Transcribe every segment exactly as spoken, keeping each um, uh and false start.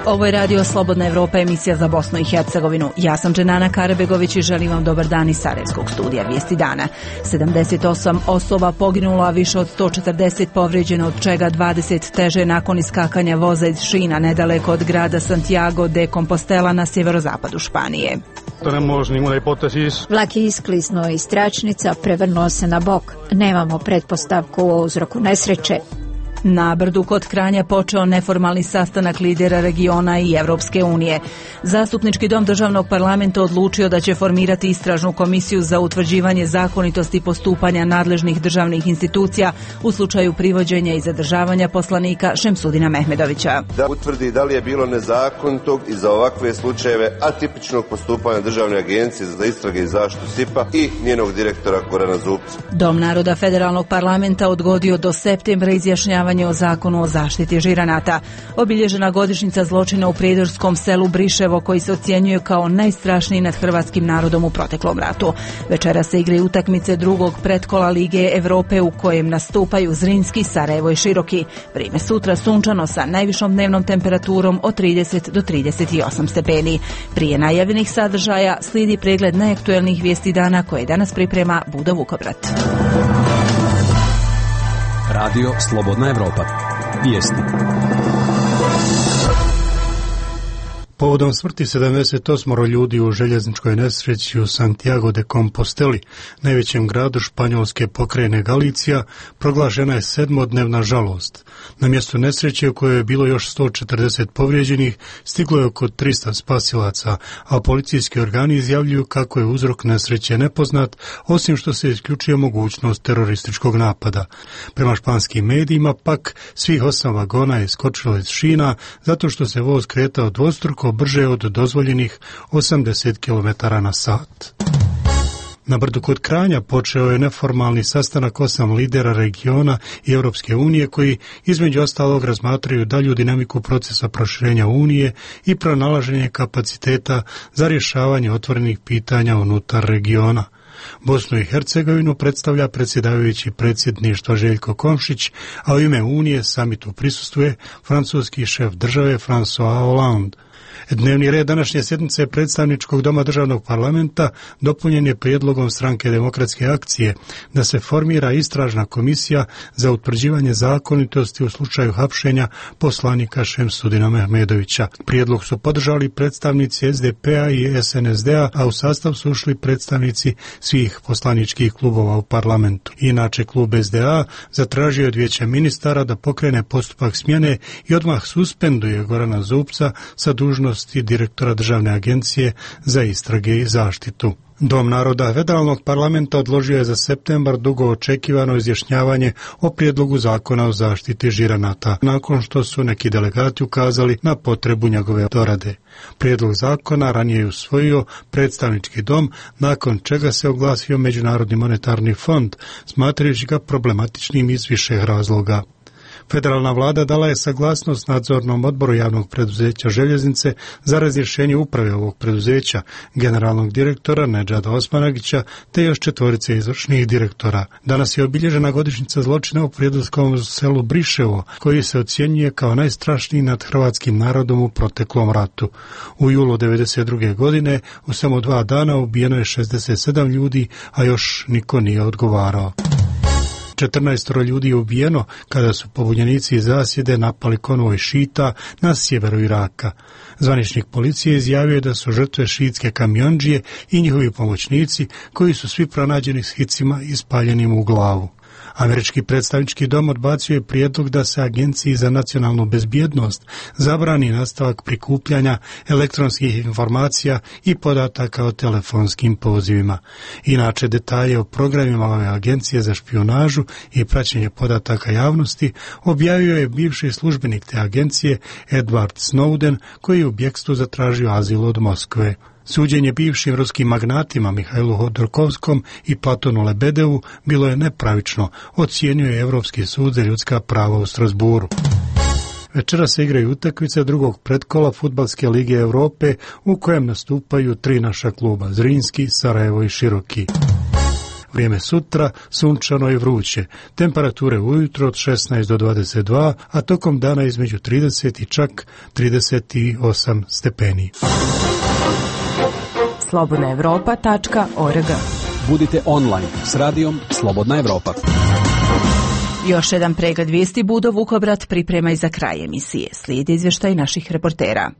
Ovo je Radio Slobodna Evropa, emisija za Bosnu i Hercegovinu. Ja sam Dženana Karabegović i želim vam dobar dan iz Sarajevskog studija Vijesti dana. sedamdeset osam osoba poginulo, a više od sto četrdeset povrijeđeno, od čega dvadeset teže nakon iskakanja voza iz šina nedaleko od grada Santiago de Compostela na sjeverozapadu Španije. Vlak je iskliznuo iz tračnica, prevrnuo se na bok. Nemamo pretpostavku o uzroku nesreće. Na Brdu kod Kranja počeo neformalni sastanak lidera regiona i Evropske unije. Zastupnički dom državnog parlamenta odlučio da će formirati istražnu komisiju za utvrđivanje zakonitosti postupanja nadležnih državnih institucija u slučaju privođenja i zadržavanja poslanika Šemsudina Mehmedovića. Da utvrdi da li je bilo nezakonitog i za ovakve slučajeve atipičnog postupanja Državne agencije za istrage i zaštitu S I P-a i njenog direktora Gorana Zupca. Dom naroda federalnog parlamenta odgodio do septembra izjašnjavanje o zakonu o zaštiti žiranata. Obilježena godišnjica zločina u prijedorskom selu Briševo, koji se ocjenjuje kao najstrašniji nad hrvatskim narodom u proteklom ratu. Večera se igraju utakmice drugog pretkola Lige Evrope u kojem nastupaju Zrinski, Sarajevo i Široki. Vrijeme sutra sunčano sa najvišom dnevnom temperaturom od trideset do trideset osam stepeni. Prije najavljenih sadržaja slijedi pregled najaktuelnijih vijesti dana koje danas priprema Buda Vukobrat. Radio Slobodna Evropa. Vijesti. Povodom smrti sedamdeset osam ljudi u željezničkoj nesreći u Santiago de Composteli, najvećem gradu španjolske pokrajine Galicija, proglašena je sedmodnevna žalost. Na mjestu nesreće u kojoj je bilo još sto četrdeset povrijeđenih, stiglo je oko tristo spasilaca, a policijski organi izjavljuju kako je uzrok nesreće nepoznat, osim što se isključuje mogućnost terorističkog napada. Prema španskim medijima pak svih osam vagona je skočilo iz šina zato što se voz kretao dvostruko brže od dozvoljenih osamdeset kilometara na sat. Na Brdu kod Kranja počeo je neformalni sastanak osam lidera regiona i Europske unije koji između ostalog razmatraju dalju dinamiku procesa proširenja Unije i pronalaženje kapaciteta za rješavanje otvorenih pitanja unutar regiona. Bosnu i Hercegovinu predstavlja predsjedavajući predsjedništva Željko Komšić, a u ime Unije samitu prisustvuje francuski šef države François Hollande. Dnevni red današnje sjednice predstavničkog doma državnog parlamenta dopunjen je prijedlogom Stranke demokratske akcije da se formira istražna komisija za utvrđivanje zakonitosti u slučaju hapšenja poslanika Šemsudina Mehmedovića. Prijedlog su podržali predstavnici S D P-a i S N S D-a, a u sastav su ušli predstavnici svih poslaničkih klubova u parlamentu. Inače, klub S D A zatražio od Vijeća ministara da pokrene postupak smjene i odmah suspenduje Gorana Zupca sa dužnosti direktora Državne agencije za istrage i zaštitu. Dom naroda federalnog parlamenta odložio je za septembar dugo očekivano izjašnjavanje o prijedlogu zakona o zaštiti žiranata, nakon što su neki delegati ukazali na potrebu njegove dorade. Prijedlog zakona ranije je usvojio predstavnički dom, nakon čega se oglasio Međunarodni monetarni fond, smatrajući ga problematičnim iz više razloga. Federalna vlada dala je saglasnost nadzornom odboru javnog preduzeća Željeznice za razrješenje uprave ovog preduzeća, generalnog direktora Nedžada Osmanagića te još četvorice izvršnih direktora. Danas je obilježena godišnjica zločina u prijedorskom selu Briševo, koji se ocjenjuje kao najstrašniji nad hrvatskim narodom u proteklom ratu. U julu devedeset druge godine u samo dva dana ubijeno je šezdeset sedam ljudi, a još niko nije odgovarao. četrnaest ljudi je ubijeno kada su pobunjenici iz zasjede napali konvoj šita na sjeveru Iraka. Zvaničnik policije izjavio je da su žrtve šiitske kamiondžije i njihovi pomoćnici, koji su svi pronađeni s hicima ispaljenim u glavu. Američki predstavnički dom odbacio je prijedlog da se Agenciji za nacionalnu bezbjednost zabrani nastavak prikupljanja elektronskih informacija i podataka o telefonskim pozivima. Inače, detalje o programima ove agencije za špijunažu i praćenje podataka javnosti objavio je bivši službenik te agencije Edward Snowden, koji je u bjegstvu zatražio azil od Moskve. Suđenje bivšim ruskim magnatima Mihajlu Hodorkovskom i Platonu Lebedevu bilo je nepravično, ocijenio je Europski sud za ljudska prava u Strasburu. Večera se igraju utakmice drugog pretkola Fudbalske lige Europe u kojem nastupaju tri naša kluba, Zrinski, Sarajevo i Široki. Vrijeme sutra sunčano i vruće. Temperature ujutro od šesnaest do dvadeset dva, a tokom dana između trideset i čak trideset osam stepeni. slobodna evropa tačka org. Budite online s radijom Slobodna Evropa. Još jedan pregled vijesti Budo Vukobrat priprema i za kraj emisije. Slijedi izvještaj naših reportera.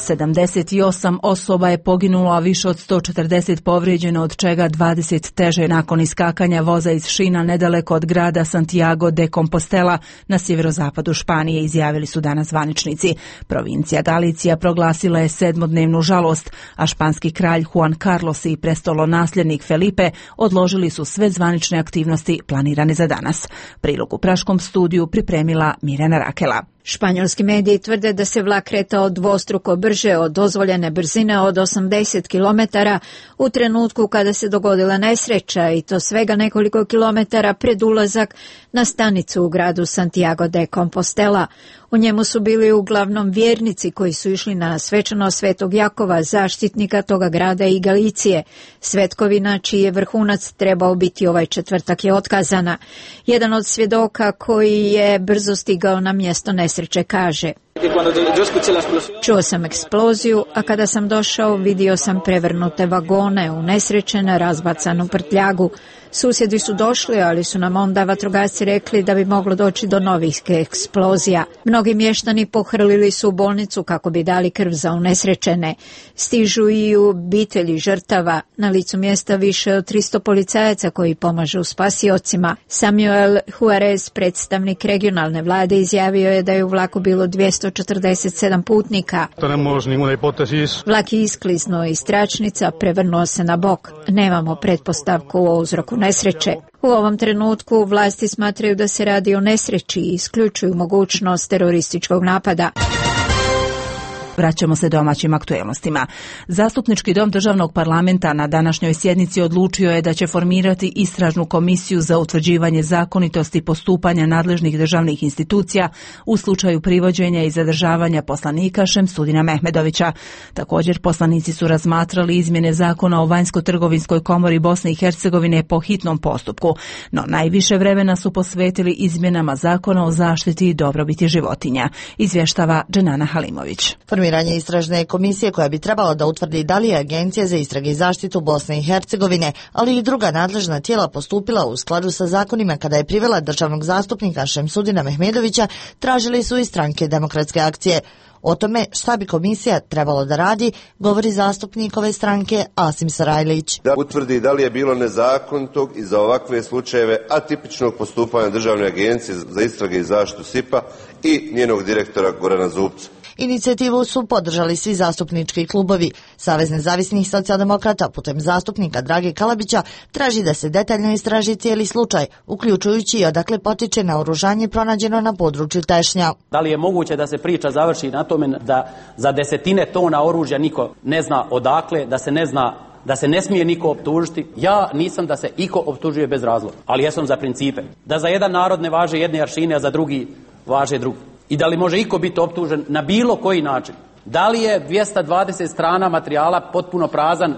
sedamdeset osam osoba je poginulo, a više od sto četrdeset povrijeđeno, od čega dvadeset teže nakon iskakanja voza iz šina nedaleko od grada Santiago de Compostela na sjeverozapadu Španije, izjavili su danas zvaničnici. Provincija Galicija proglasila je sedmodnevnu žalost, a španski kralj Juan Carlos i prestolonasljednik Felipe odložili su sve zvanične aktivnosti planirane za danas. Prilog u Praškom studiju pripremila Mirjana Rakela. Španjolski mediji tvrde da se vlak kretao dvostruko brže od dozvoljene brzine od osamdeset kilometara u trenutku kada se dogodila nesreća, i to svega nekoliko kilometara pred ulazak na stanicu u gradu Santiago de Compostela. U njemu su bili uglavnom vjernici koji su išli na svečano Svetog Jakova, zaštitnika toga grada i Galicije. Svetkovina, čiji je vrhunac trebao biti ovaj četvrtak, je otkazana. Jedan od svjedoka koji je brzo stigao na mjesto nesreće kaže: čuo sam eksploziju, a kada sam došao vidio sam prevrnute vagone, unesrećene, razbacanu prtljagu. Susjedi su došli, ali su nam onda vatrogasci rekli da bi moglo doći do novih eksplozija. Mnogi mještani pohrlili su u bolnicu kako bi dali krv za unesrećene. Stižu i u obitelji žrtava. Na licu mjesta više od tristo policajaca koji pomažu spasiocima. Samuel Juarez, predstavnik regionalne vlade, izjavio je da je u vlaku bilo dvjesto četrdeset sedam putnika. Vlak je iskliznuo iz tračnica, prevrnuo se na bok. Nemamo pretpostavku o uzroku nesreće. U ovom trenutku vlasti smatraju da se radi o nesreći i isključuju mogućnost terorističkog napada. Vraćamo se domaćim aktuelnostima. Zastupnički dom državnog parlamenta na današnjoj sjednici odlučio je da će formirati istražnu komisiju za utvrđivanje zakonitosti postupanja nadležnih državnih institucija u slučaju privođenja i zadržavanja poslanika Šemsudina Mehmedovića. Također poslanici su razmatrali izmjene zakona o vanjsko-trgovinskoj komori Bosne i Hercegovine po hitnom postupku, no najviše vremena su posvetili izmjenama zakona o zaštiti i dobrobiti životinja, izvještava Dženana Halimović. Formiranje istražne komisije koja bi trebala da utvrdi da li je Agencija za istrage i zaštitu Bosne i Hercegovine, ali i druga nadležna tijela postupila u skladu sa zakonima kada je privela državnog zastupnika Šemsudina Mehmedovića, tražili su i stranke Demokratske akcije. O tome šta bi komisija trebalo da radi, govori zastupnik ove stranke Asim Sarajlić. Da utvrdi da li je bilo nezakonitog i za ovakve slučajeve atipičnog postupanja Državne agencije za istrage i zaštitu S I P-a i njenog direktora Gorana Zupca. Inicijativu su podržali svi zastupnički klubovi. Savez nezavisnih socijaldemokrata putem zastupnika Drage Kalabića traži da se detaljno istraži cijeli slučaj, uključujući i odakle potiče naoružanje pronađeno na području Tešnja. Da li je moguće da se priča završi na tome da za desetine tona oružja niko ne zna odakle, da se ne zna, da se ne smije niko optužiti? Ja nisam da se iko optužuje bez razloga, ali jesam za principe. Da za jedan narod ne važe jedne aršine, a za drugi važe drugi. I da li može iko biti optužen na bilo koji način? Da li je dvjesto dvadeset strana materijala potpuno prazan?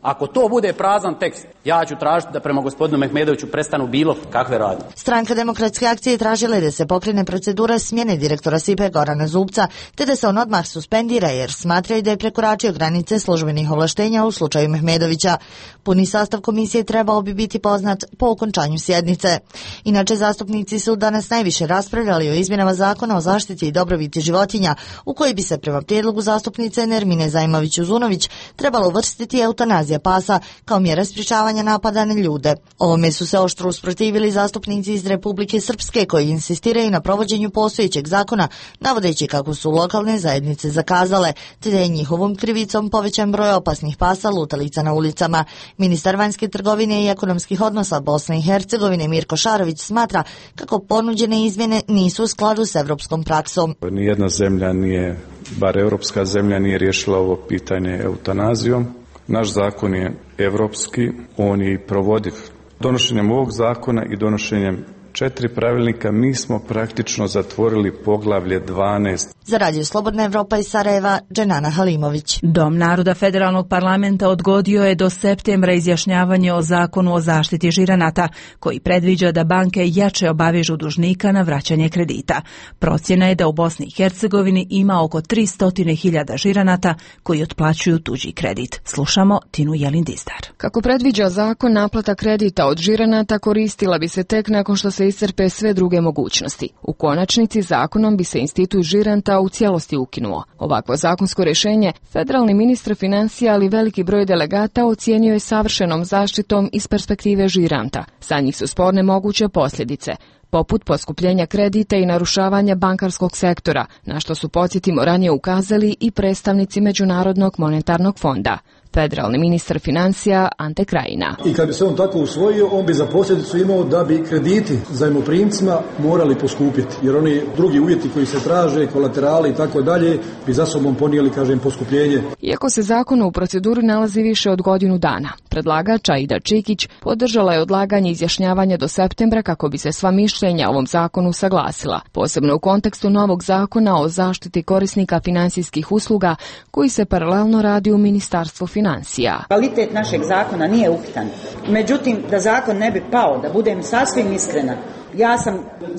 Ako to bude prazan tekst, ja ću tražiti da prema gospodinu Mehmedoviću prestanu bilo kakve radnje. Stranka Demokratske akcije tražila je da se pokrene procedura smjene direktora S I P-a Gorana Zupca, te da se on odmah suspendira jer smatraju da je prekoračio granice službenih ovlaštenja u slučaju Mehmedovića. Puni sastav komisije trebao bi biti poznat po okončanju sjednice. Inače, zastupnici su danas najviše raspravljali o izmjenama zakona o zaštiti i dobrobiti životinja, u koji bi se prema prijedlogu zastupnice Nermine Zajmović-Uzunović trebalo uvrstiti eutanazija pasa kao mjera sprječavanja napada na ljude. Ovome su se oštro usprotivili zastupnici iz Republike Srpske koji insistiraju na provođenju postojećeg zakona, navodeći kako su lokalne zajednice zakazale, te da je njihovom krivicom povećan broj opasnih pasa lutalica na ulicama. Ministar vanjske trgovine i ekonomskih odnosa Bosne i Hercegovine Mirko Šarović smatra kako ponuđene izmjene nisu u skladu s evropskom praksom. Nijedna zemlja nije, bar europska zemlja, nije riješila ovo pitanje eutanazijom. Naš zakon je evropski, on je i provodiv. Donošenjem ovog zakona i donošenjem četiri pravilnika mi smo praktično zatvorili poglavlje dvanaest. Za Radio Slobodna Evropa iz Sarajeva, Dženana Halimović. Dom naroda Federalnog parlamenta odgodio je do septembra izjašnjavanje o zakonu o zaštiti žiranata, koji predviđa da banke jače obavežu dužnika na vraćanje kredita. Procjena je da u Bosni i Hercegovini ima oko tristo hiljada žiranata koji otplaćuju tuđi kredit. Slušamo Tinu Jelindistar. Kako predviđa zakon, naplata kredita od žiranata koristila bi se tek nakon što se iscrpe sve druge mogućnosti. U konačnici zakonom bi se institut žiranta u cijelosti ukinuo. Ovakvo zakonsko rješenje federalni ministar financija, ali veliki broj delegata ocijenio je savršenom zaštitom iz perspektive žiranta. Sa njih su sporne moguće posljedice, poput poskupljenja kredita i narušavanja bankarskog sektora, na što su, podsjetimo, ranije ukazali i predstavnici Međunarodnog monetarnog fonda. Federalni ministar financija Ante Krajina. I kad bi se on tako usvojio, on bi za posljedicu imao da bi krediti zajmoprimcima morali poskupiti, jer oni drugi uvjeti koji se traže, kolaterali i tako dalje, bi za sobom ponijeli, kažem, poskupljenje. Iako se zakon u proceduri nalazi više od godinu dana, predlagač Aida Čikić podržala je odlaganje izjašnjavanja do septembra kako bi se sva mišljenja o ovom zakonu saglasila, posebno u kontekstu novog zakona o zaštiti korisnika finansijskih usluga koji se paralelno radi u Ministarstvu financija. Financija. Kvalitet našeg zakona nije upitan. Međutim, da zakon ne bi pao, da budem sasvim iskrena, ja sam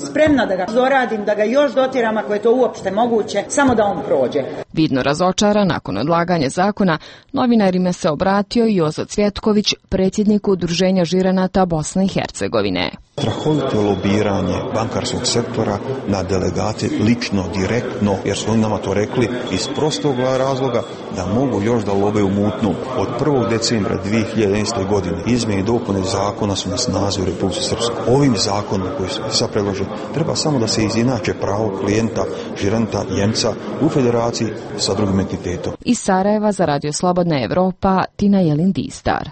spremna da ga doradim, da ga još dotjeram ako je to uopšte moguće, samo da on prođe. Vidno razočara nakon odlaganja zakona, novinarima se obratio i Jozo Cvjetković, predsjednik Udruženja žiranata Bosne i Hercegovine. Strahovito lobiranje bankarskog sektora na delegate lično, direktno, jer su oni nama to rekli iz prostog razloga da mogu još da lobe u mutnu. Od prvog decembra dvije hiljade jedanaeste. godine izmjene i dopune zakona su na snazi u Republici Srpskoj. Ovim zakonom koji se sad predložen treba samo da se izinače pravo klijenta, žiranta, Njemca u federaciji sa drugim entitetom. Iz Sarajeva za Radio Slobodna Evropa, Tina Jelindistar.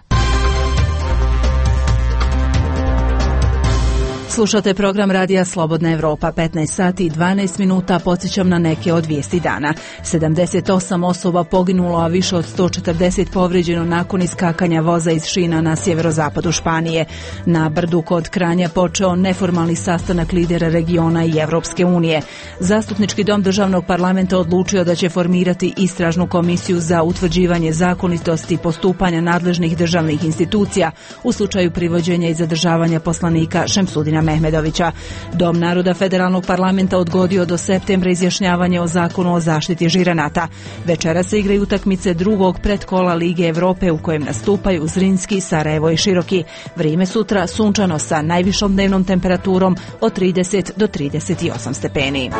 Slušate program Radija Slobodna Evropa, petnaest sati i dvanaest minuta, podsjećam na neke od vijesti dana. sedamdeset osam osoba poginulo, a više od sto četrdeset povrijeđeno nakon iskakanja voza iz šina na sjeverozapadu Španije. Na Brdu kod Kranja počeo neformalni sastanak lidera regiona i Evropske unije. Zastupnički dom državnog parlamenta odlučio da će formirati istražnu komisiju za utvrđivanje zakonitosti postupanja nadležnih državnih institucija u slučaju privođenja i zadržavanja poslanika Šemsudina Mehmedovića. Dom naroda Federalnog parlamenta odgodio do septembra izjašnjavanje o zakonu o zaštiti žiranata. Večera se igraju utakmice drugog predkola Lige Evrope u kojem nastupaju Zrinski, Sarajevo i Široki. Vrijeme sutra sunčano sa najvišom dnevnom temperaturom od trideset do trideset osam stepeni.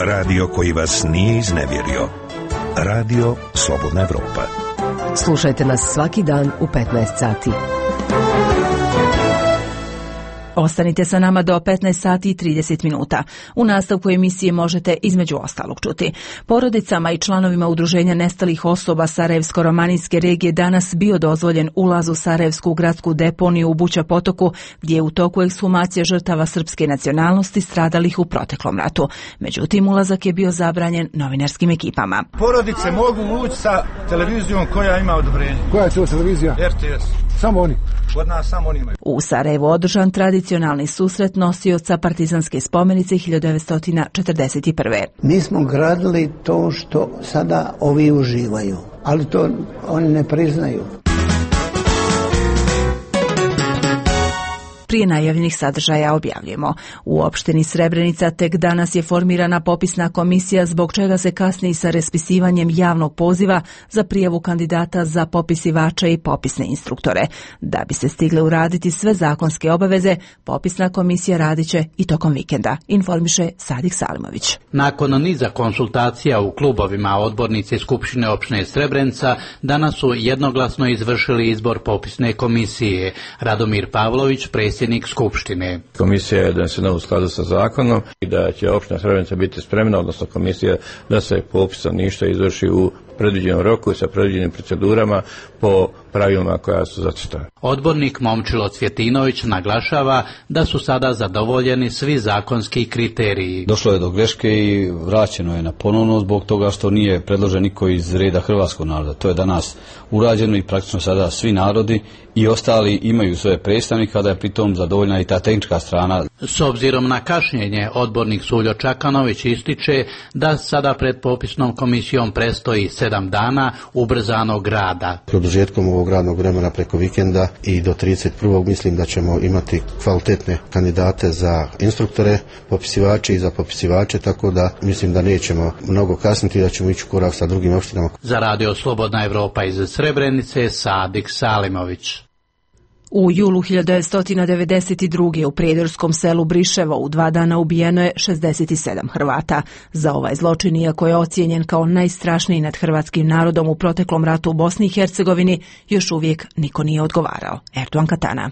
Radio koji vas nije iznevjerio. Radio Slobodna Evropa. Slušajte nas svaki dan u petnaest sati. Ostanite sa nama do petnaest sati i trideset minuta. U nastavku emisije možete između ostalog čuti. Porodicama i članovima udruženja nestalih osoba Sarajevsko-romanijske regije danas bio dozvoljen ulaz u Sarajevsku gradsku deponiju u Buća potoku, gdje je u toku ekshumacija žrtava srpske nacionalnosti stradalih u proteklom ratu. Međutim, ulazak je bio zabranjen novinarskim ekipama. Porodice mogu ući sa televizijom koja ima odobrenje. Koja je to televizija? R T S. Samo oni. Kod nas samo oni imaju. U Sarajevu održan tradicionalni susret nosioca partizanske spomenice hiljadu devetsto četrdeset prve. Mi smo gradili to što sada ovi uživaju, ali to oni ne priznaju. Prije najavljenih sadržaja objavljujemo. U opštini Srebrenica tek danas je formirana popisna komisija, zbog čega se kasni sa raspisivanjem javnog poziva za prijavu kandidata za popisivača i popisne instruktore. Da bi se stigle uraditi sve zakonske obaveze, popisna komisija radit će i tokom vikenda, informiše Sadik Salimović. Nakon niza konsultacija u klubovima, odbornici Skupštine opštine Srebrenica danas su jednoglasno izvršili izbor popisne komisije. Radomir Pavlović, predsjednik Skupštine. Komisija je donesena u skladu sa zakonom i da će opština Srebrenica biti spremna, odnosno komisija, da se popis stanovništva izvrši u predviđenom roku i sa predviđenim procedurama po pravilima koja su zacrtana. Odbornik Momčilo Cvjetinović naglašava da su sada zadovoljeni svi zakonski kriteriji. Došlo je do greške i vraćeno je na ponovno zbog toga što nije predložen niko iz reda hrvatskog naroda. To je danas urađeno i praktično sada svi narodi i ostali imaju svoje predstavnike, da je pritom zadovoljna i ta tehnička strana. S obzirom na kašnjenje, odbornik Suljo Čakanović ističe da sada pred popisnom komisijom prestoji sedam dana ubrzanog rada. Produžetkom ovog radnog vremena preko vikenda i do trideset prvog mislim da ćemo imati kvalitetne kandidate za instruktore, popisivače i za popisivače, tako da mislim da nećemo mnogo kasniti, da ćemo ići u korak sa drugim opštinama. Za radio Slobodna Evropa iz Srebrenice, Sadik Salimović. U julu hiljadu devetsto devedeset druge. u prijedorskom selu Briševo u dva dana ubijeno je šezdeset sedam Hrvata. Za ovaj zločin, iako je ocijenjen kao najstrašniji nad hrvatskim narodom u proteklom ratu u Bosni i Hercegovini, još uvijek niko nije odgovarao. Erdogan Katana.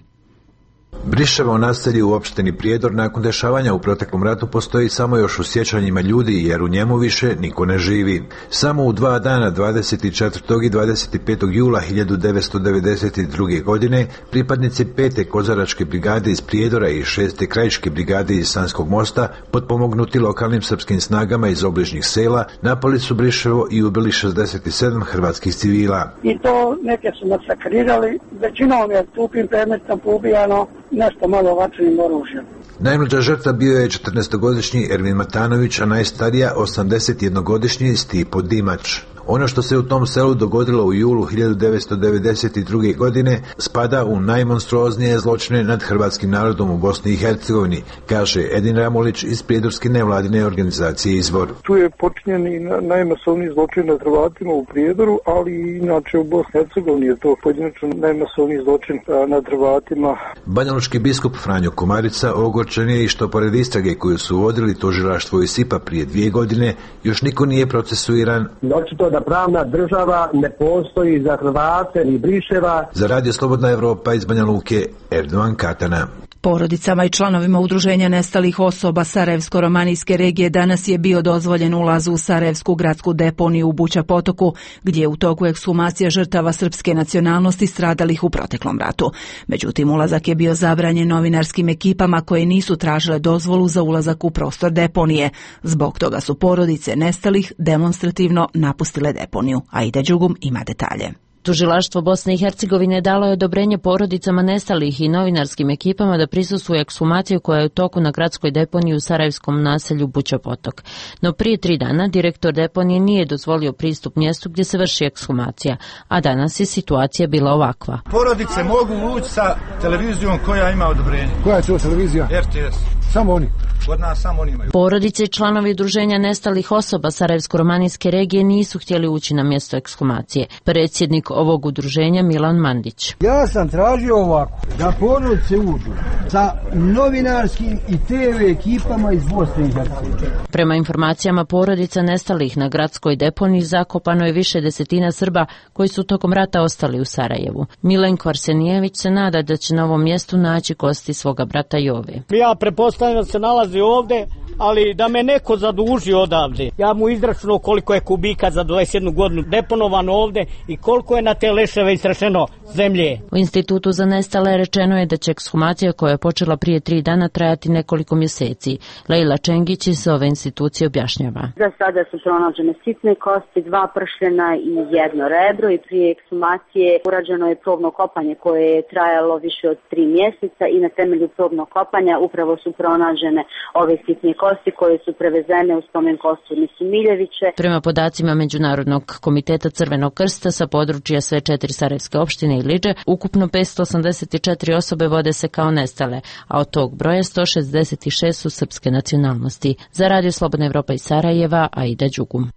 Briševo naselje u opštini Prijedor nakon dešavanja u proteklom ratu postoji samo još u sjećanjima ljudi, jer u njemu više niko ne živi. Samo u dva dana, dvadeset četvrtog i dvadeset petog jula hiljadu devetsto devedeset druge. godine, pripadnici pete kozaračke brigade iz Prijedora i šeste krajiške brigade iz Sanskog mosta, potpomognuti lokalnim srpskim snagama iz obližnjih sela, napali su Briševo i ubili šezdeset sedam hrvatskih civila. I to neke su masakrirali, većinom je tupim predmetom poubijano, nešto malo vatrenim oružjem. Najmlađa žrtva bio je četrnaestogodišnji Ervin Matanović, a najstarija osamdesetjednogodišnji Stipo Dimač. Ono što se u tom selu dogodilo u julu hiljadu devetsto devedeset druge. godine spada u najmonstruoznije zločine nad hrvatskim narodom u Bosni i Hercegovini, kaže Edin Ramulić iz prijedorske nevladine organizacije Izvor. Tu je počinjen i najmasovniji zločin nad Hrvatima u Prijedoru, ali i inače u Bosni i Hercegovini je to pojedinačno najmasovniji zločin nad Hrvatima. Banjalučki biskup Franjo Komarica ogorčen je i što pored istrage koju su vodili tužilaštvo i SIPA prije dvije godine, još niko nije procesuiran. Očito da pravna država ne postoji za Hrvate ni Briševa. Za radio Slobodna Evropa iz Banja Luke, Erdogan Katana. Porodicama i članovima udruženja nestalih osoba Sarajevsko-romanijske regije danas je bio dozvoljen ulaz u Sarajevsku gradsku deponiju u Buća Potoku, gdje je u toku ekshumacija žrtava srpske nacionalnosti stradalih u proteklom ratu. Međutim, ulazak je bio zabranjen novinarskim ekipama koje nisu tražile dozvolu za ulazak u prostor deponije. Zbog toga su porodice nestalih demonstrativno napustile deponiju. Aida Đugum ima detalje. Tužilaštvo Bosne i Hercegovine dalo je odobrenje porodicama nestalih i novinarskim ekipama da prisustvuju ekshumaciju koja je u toku na gradskoj deponiji u sarajevskom naselju Buća Potok. No prije tri dana direktor deponije nije dozvolio pristup mjestu gdje se vrši ekshumacija, a danas je situacija bila ovakva. Porodice mogu ući sa televizijom koja ima odobrenje. Koja je to televizija? R T S. Samo oni? Kod nas samo oni imaju. Porodice i članovi udruženja nestalih osoba Sarajevsko-romanijske regije nisu htjeli ući na mjesto ekshumacije. Predsjednik ovog udruženja Milan Mandić. Ja sam tražio ovako, da porodice uđu sa novinarskim i te ve ekipama iz Bosne i Hercegovine. Prema informacijama porodica nestalih na gradskoj deponiji zakopano je više desetina Srba koji su tokom rata ostali u Sarajevu. Milenko Arsenijević se nada da će na ovom mjestu naći kosti svoga brata Jove. Ja prepostavljam da se nalazi ovdje, ali da me neko zaduži odavde. Ja mu izračunao koliko je kubika za dvadeset jednu godinu deponovano ovdje i koliko je na te leševe isrešeno zemlje. U Institutu za nestale rečeno je da će ekshumacija koja je počela prije tri dana trajati nekoliko mjeseci. Lejla Čengić iz ove institucije objašnjava. Za sada su pronađene sitne kosti, dva pršljena i jedno rebro i prije ekshumacije urađeno je probno kopanje koje je trajalo više od tri mjeseca i na temelju probnog kopanja upravo su pronađene ove sitne kosti koje su prevezene u spomen kosturnicu Miljeviće. Prema podacima Međunarodnog komiteta Crvenog krsta sa područja sve četiri sarajevske opštine i Liđe, ukupno petsto osamdeset četiri osobe vode se kao nestale, a od tog broja sto šezdeset šest su srpske nacionalnosti. Za radio Slobodna Evropa iz Sarajeva, Aida Đugum.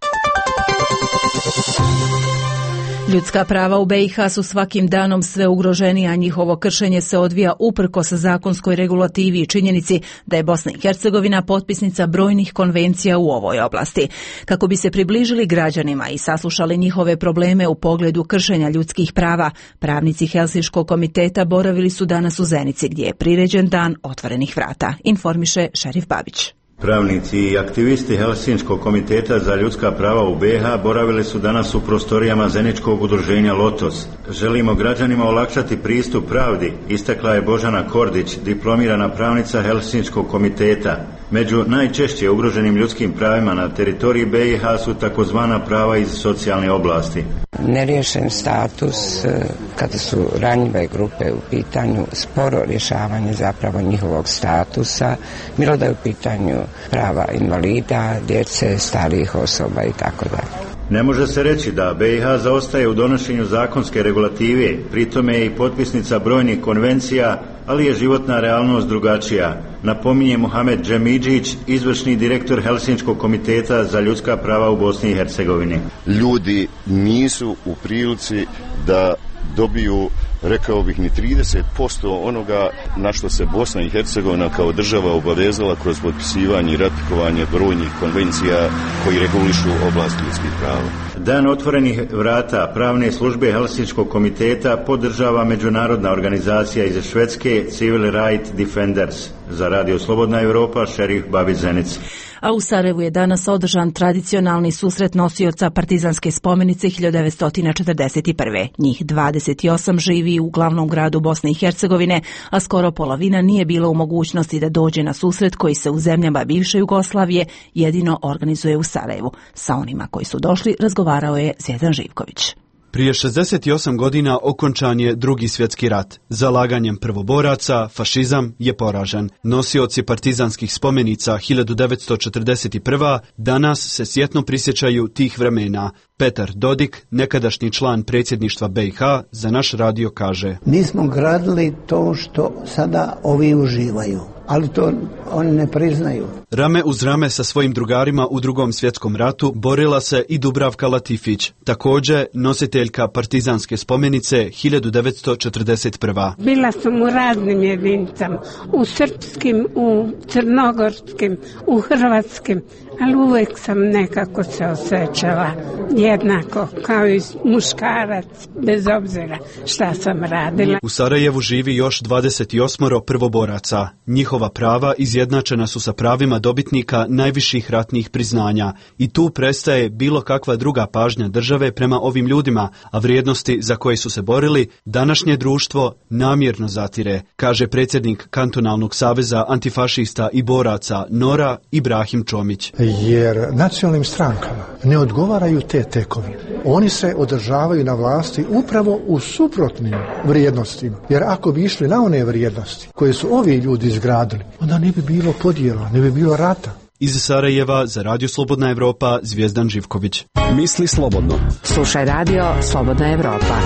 Ljudska prava u B i H su svakim danom sve ugroženija, a njihovo kršenje se odvija uprkos zakonskoj regulativi i činjenici da je Bosna i Hercegovina potpisnica brojnih konvencija u ovoj oblasti. Kako bi se približili građanima i saslušali njihove probleme u pogledu kršenja ljudskih prava, pravnici Helsinškog komiteta boravili su danas u Zenici, gdje je priređen dan otvorenih vrata, informiše Šerif Babić. Pravnici i aktivisti Helsinškog komiteta za ljudska prava u be ha boravili su danas u prostorijama Zeničkog udruženja Lotos. Želimo građanima olakšati pristup pravdi, istakla je Božana Kordić, diplomirana pravnica Helsinškog komiteta. Među najčešće ugroženim ljudskim pravima na teritoriji be i ha su takozvana prava iz socijalne oblasti. Neriješen status kada su ranjive grupe u pitanju, sporo rješavanje zapravo njihovog statusa, bilo da je u pitanju prava invalida, djece, starijih osoba i tako dalje. Ne može se reći da be i ha zaostaje u donošenju zakonske regulative, pritome je i potpisnica brojnih konvencija, ali je životna realnost drugačija, napominje Muhamed Džemidžić, izvršni direktor Helsinškog komiteta za ljudska prava u Bosni i Hercegovini. Ljudi nisu u prilici da dobiju, rekao bih, ni trideset posto onoga na što se Bosna i Hercegovina kao država obavezala kroz potpisivanje i ratifikovanje brojnih konvencija koji regulišu oblast ljudskih prava. Dan otvorenih vrata pravne službe Helsinškog komiteta podržava međunarodna organizacija iz Švedske Civil Right Defenders. Za Radio Slobodna Europa, šerif Babić Zenic. A u Sarajevu je danas održan tradicionalni susret nosioca partizanske spomenice hiljadu devetsto četrdeset prve. Njih dvadeset osam živi u glavnom gradu Bosne i Hercegovine, a skoro polovina nije bila u mogućnosti da dođe na susret koji se u zemljama bivše Jugoslavije jedino organizuje u Sarajevu. Sa onima koji su došli razgovarao je Zvijezdan Živković. Prije šezdeset osam godina okončan je Drugi svjetski rat. Zalaganjem prvoboraca fašizam je poražen. Nosioci partizanskih spomenica hiljadu devetsto četrdeset prve. danas se sjetno prisjećaju tih vremena. Petar Dodik, nekadašnji član predsjedništva be i ha, za naš radio kaže: Mi smo gradili to što sada ovi uživaju, ali to oni ne priznaju. Rame uz rame sa svojim drugarima u Drugom svjetskom ratu borila se i Dubravka Latifić, također nositeljka partizanske spomenice hiljadu devetsto četrdeset prve. Bila sam u raznim jedinicama, u srpskim, u crnogorskim, u hrvatskim, ali uvijek sam nekako se osjećala jednako kao i muškarac, bez obzira šta sam radila. U Sarajevu živi još dvadeset osam prvoboraca. Njihova prava izjednačena su sa pravima dobitnika najviših ratnih priznanja i tu prestaje bilo kakva druga pažnja države prema ovim ljudima, a vrijednosti za koje su se borili današnje društvo namjerno zatire, kaže predsjednik Kantonalnog saveza antifašista i boraca Nora Ibrahim Čomić. Jer nacionalnim strankama ne odgovaraju te tekovine. Oni se održavaju na vlasti upravo u suprotnim vrijednostima. Jer ako bi išli na one vrijednosti koje su ovi ljudi izgradili, onda ne bi bilo podjela, ne bi bilo rata. Iz Sarajeva za Radio Slobodna Evropa, Zvijezdan Živković. Misli slobodno. Slušaj Radio Slobodna Evropa.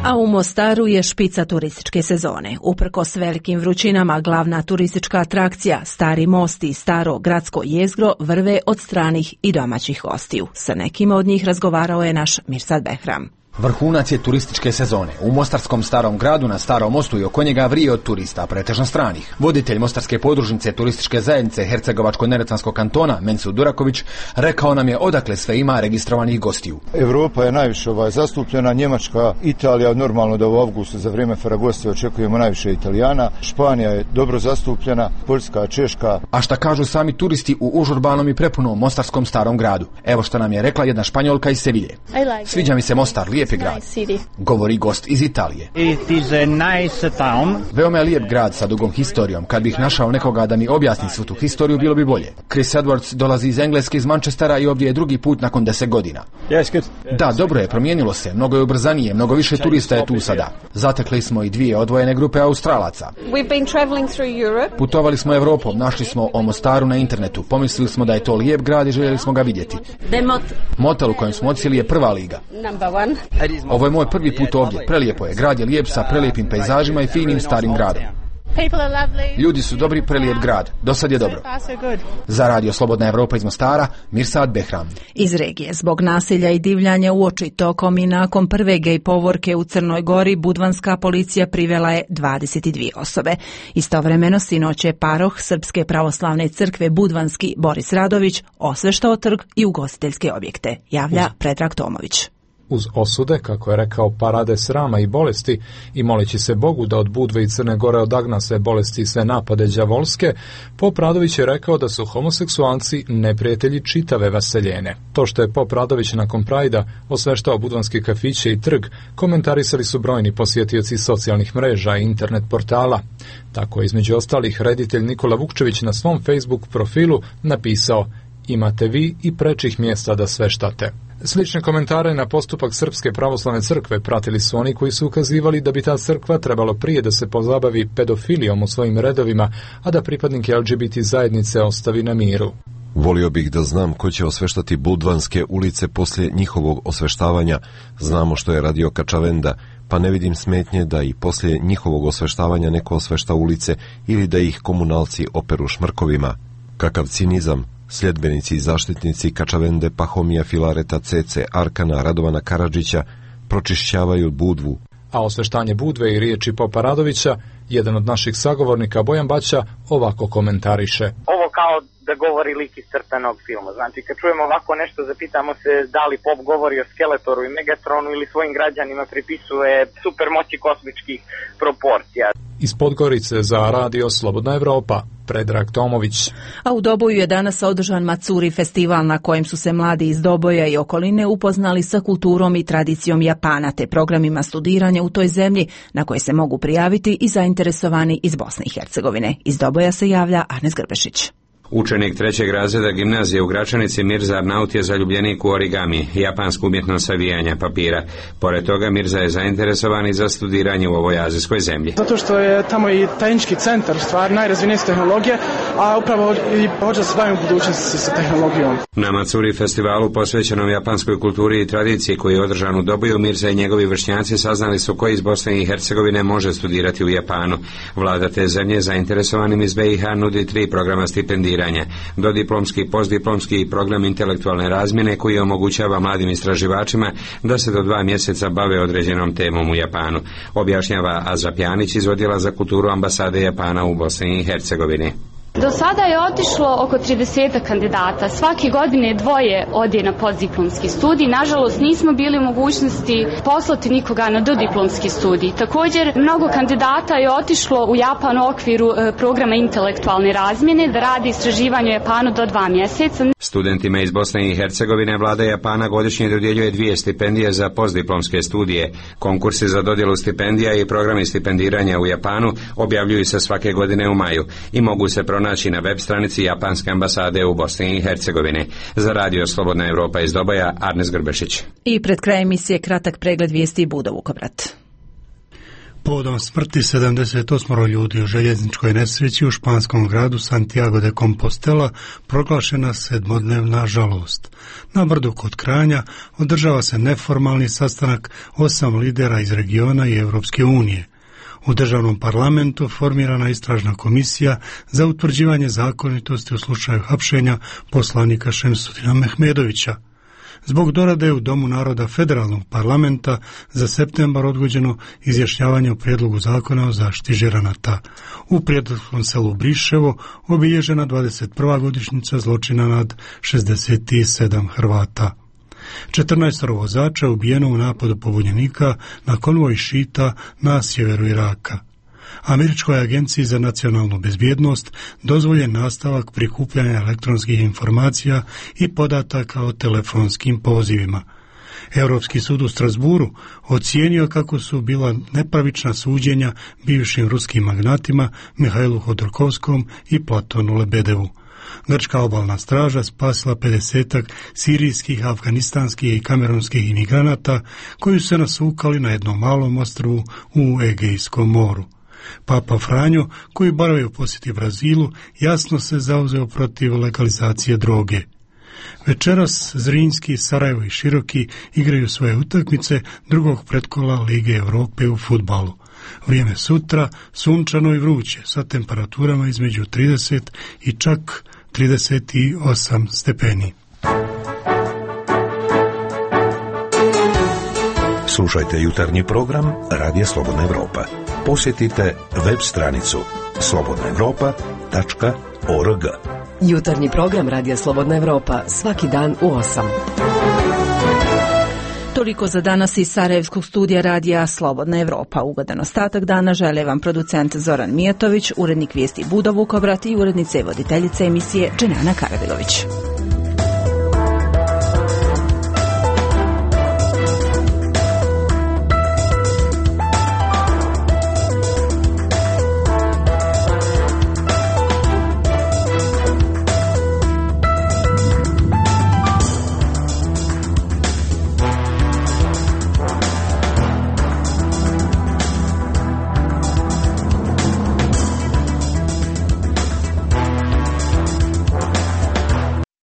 A u Mostaru je špica turističke sezone. Uprkos velikim vrućinama, glavna turistička atrakcija, Stari most i staro gradsko jezgro vrve od stranih i domaćih gostiju. Sa nekima od njih razgovarao je naš Mirsad Behram. Vrhunac je turističke sezone. U mostarskom starom gradu na Starom mostu i oko njega vrije od turista, pretežno stranih. Voditelj mostarske podružnice turističke zajednice Hercegovačko-neretvanskog kantona, Mensur Duraković, rekao nam je odakle sve ima registrovanih gostiju. Evropa je najviše ovaj, zastupljena, Njemačka, Italija, normalno da u avgustu za vrijeme Ferragoste očekujemo najviše Italijana, Španija je dobro zastupljena, Poljska, Češka. A šta kažu sami turisti u užurbanom i prepunom mostarskom starom gradu? Evo što nam je rekla jedna Španjolka iz Sevilje. Sviđa mi se Mostar, lijep grad, govori gost iz Italije. It is a nice town. Veoma je lijep grad sa dugom historijom. Kad bih našao nekoga da mi objasni svu tu historiju, bilo bi bolje. Chris Edwards dolazi iz Engleske, iz Manchestera i ovdje je drugi put nakon deset godina. Yes, good. Da, dobro je, promijenilo se, mnogo je ubrzanije, mnogo više turista je tu sada. Zatekli smo i dvije odvojene grupe Australaca. We've been traveling through Europe. Putovali smo Evropom, našli smo o Mostaru na internetu, pomislili smo da je to lijep grad i željeli smo ga vidjeti. Motel u kojem smo odsjeli je prva liga. Number one. Ovo je moj prvi put ovdje, prelijepo je, grad je lijep sa prelijepim pejzažima i finim starim gradom. Ljudi su dobri, prelijep grad, do sad je dobro. Za Radio Slobodna Evropa iz Mostara, Mirsad Behram. Iz regije, zbog nasilja i divljanja uoči tokom i nakon prve gej povorke u Crnoj Gori, budvanska policija privela je dvadeset dvije osobe. Istovremeno sinoć je paroh Srpske pravoslavne crkve Budvanski Boris Radović osveštao trg i ugostiteljske objekte, javlja Predrag Tomović. uz osude, kako je rekao, parade srama i bolesti i moleći se Bogu da od Budve i Crne Gore odagna sve bolesti i sve napade đavolske, Pop Radović je rekao da su homoseksualci neprijatelji čitave vaseljene. To što je Pop Radović nakon Prajda osveštao budvanske kafiće i trg, komentarisali su brojni posjetioci socijalnih mreža i internet portala. Tako je između ostalih reditelj Nikola Vukčević na svom Facebook profilu napisao: imate vi i prečih mjesta da sveštate. Slične komentare na postupak Srpske pravoslavne crkve pratili su oni koji su ukazivali da bi ta crkva trebalo prije da se pozabavi pedofilijom u svojim redovima, a da pripadnike L G B T zajednice ostavi na miru. Volio bih da znam ko će osveštati budvanske ulice poslije njihovog osveštavanja. Znamo što je radio Kačavenda, pa ne vidim smetnje da i poslije njihovog osveštavanja neko osvešta ulice ili da ih komunalci operu šmrkovima. Kakav cinizam! Sljedbenici i zaštitnici Kačavende, Pahomija, Filareta, Cece, Arkana, Radovana Karadžića pročišćavaju Budvu. A osveštanje Budve i riječi Popa Radovića, jedan od naših sagovornika Bojan Baća ovako komentariše. Ovo kao da govori lik iz crtanog filma. Znači, kad čujemo ovako nešto, zapitamo se da li Pop govori o Skeletoru i Megatronu ili svojim građanima pripisuje supermoći kosmičkih proporcija. Iz Podgorice za Radio Slobodna Evropa, Predrag Tomović. A u Doboju je danas održan Matsuri festival na kojem su se mladi iz Doboja i okoline upoznali sa kulturom i tradicijom Japana te programima studiranja u toj zemlji na koje se mogu prijaviti i zainteresovani iz Bosne i Hercegovine. Iz Doboja se javlja Arnes Grbešić. Učenik trećeg razreda gimnazije u Gračanici Mirza Arnaut je zaljubljenik u origami, japansku umjetnost savijanja papira. Pored toga Mirza je zainteresovan i za studiranje u ovoj azijskoj zemlji. Zato što je tamo i tehnički centar, stvar najrazvijenije tehnologije, a upravo i hoće da se bavim u budućnosti sa tehnologijom. Na Matsuri festivalu posvećenom japanskoj kulturi i tradiciji koji je održan u Doboju, Mirza i njegovi vršnjaci saznali su koji iz Bosne i Hercegovine može studirati u Japanu. Vlada te zemlje zainteresovanim iz B i H nudi tri programa stipendiranja. Dodiplomski, postdiplomski i program intelektualne razmjene koji omogućava mladim istraživačima da se do dva mjeseca bave određenom temom u Japanu, objašnjava Aza Pjanić iz Odjela za kulturu ambasade Japana u Bosni i Hercegovini. Do sada je otišlo oko trideset kandidata. Svake godine dvoje ode na postdiplomski studij. Nažalost, nismo bili u mogućnosti poslati nikoga na dodiplomski studij. Također, mnogo kandidata je otišlo u Japan u okviru programa intelektualne razmjene da radi istraživanje u Japanu do dva mjeseca. Studentima iz Bosne i Hercegovine vlada Japana godišnje dodjeljuje dvije stipendije za postdiplomske studije. Konkursi za dodjelu stipendija i programi stipendiranja u Japanu objavljuju se svake godine u maju i mogu se pronaći na web stranici Japanske ambasade u Bosni i Hercegovini. Za Radio Slobodna Evropa iz Doboja, Arnes Grbešić. I pred krajem emisije kratak pregled vijesti Budo Vukovrat. Povodom smrti sedamdeset osam ljudi u željezničkoj nesreći u španskom gradu Santiago de Compostela proglašena sedmodnevna žalost. Na brdu kod Kranja održava se neformalni sastanak osam lidera iz regiona i Europske unije. U državnom parlamentu formirana istražna komisija za utvrđivanje zakonitosti u slučaju hapšenja poslanika Šemsudina Mehmedovića. Zbog dorade u Domu naroda federalnog parlamenta za septembar odgođeno izjašnjavanje o prijedlogu zakona o zaštiti žiranata. U prijedlogskom selu Briševo obilježena dvadeset prva godišnjica zločina nad šezdeset sedam Hrvata. četrnaest vozača ubijeno u napadu pobunjenika na konvoj šita na sjeveru Iraka. Američkoj agenciji za nacionalnu bezbjednost dozvoljen nastavak prikupljanja elektronskih informacija i podataka o telefonskim pozivima. Europski sud u Strasburu ocijenio kako su bila nepravična suđenja bivšim ruskim magnatima Mihajlu Hodorkovskom i Platonu Lebedevu. Grčka obalna straža spasila pedesetak sirijskih, afganistanskih i kamerunskih imigranata koji su se nasukali na jednom malom ostrvu u Egejskom moru. Papa Franjo, koji boravi u posjeti Brazilu, jasno se zauzeo protiv legalizacije droge. Večeras Zrinski, Sarajevo i Široki igraju svoje utakmice drugog pretkola Lige Europe u fudbalu. Vrijeme sutra sunčano i vruće sa temperaturama između trideset i čak trideset osam stepeni. Slušajte jutarnji program Radija Slobodna Evropa. Posjetite web stranicu slobodna evropa tačka org. Jutarnji program Radija Slobodna Evropa svaki dan u osam. Toliko za danas iz Sarajevskog studija radija Slobodna Evropa. Ugodan ostatak dana žele vam producent Zoran Mijatović, urednik vijesti Budo Vukobrat i urednica i voditeljica emisije Dženana Karabilović.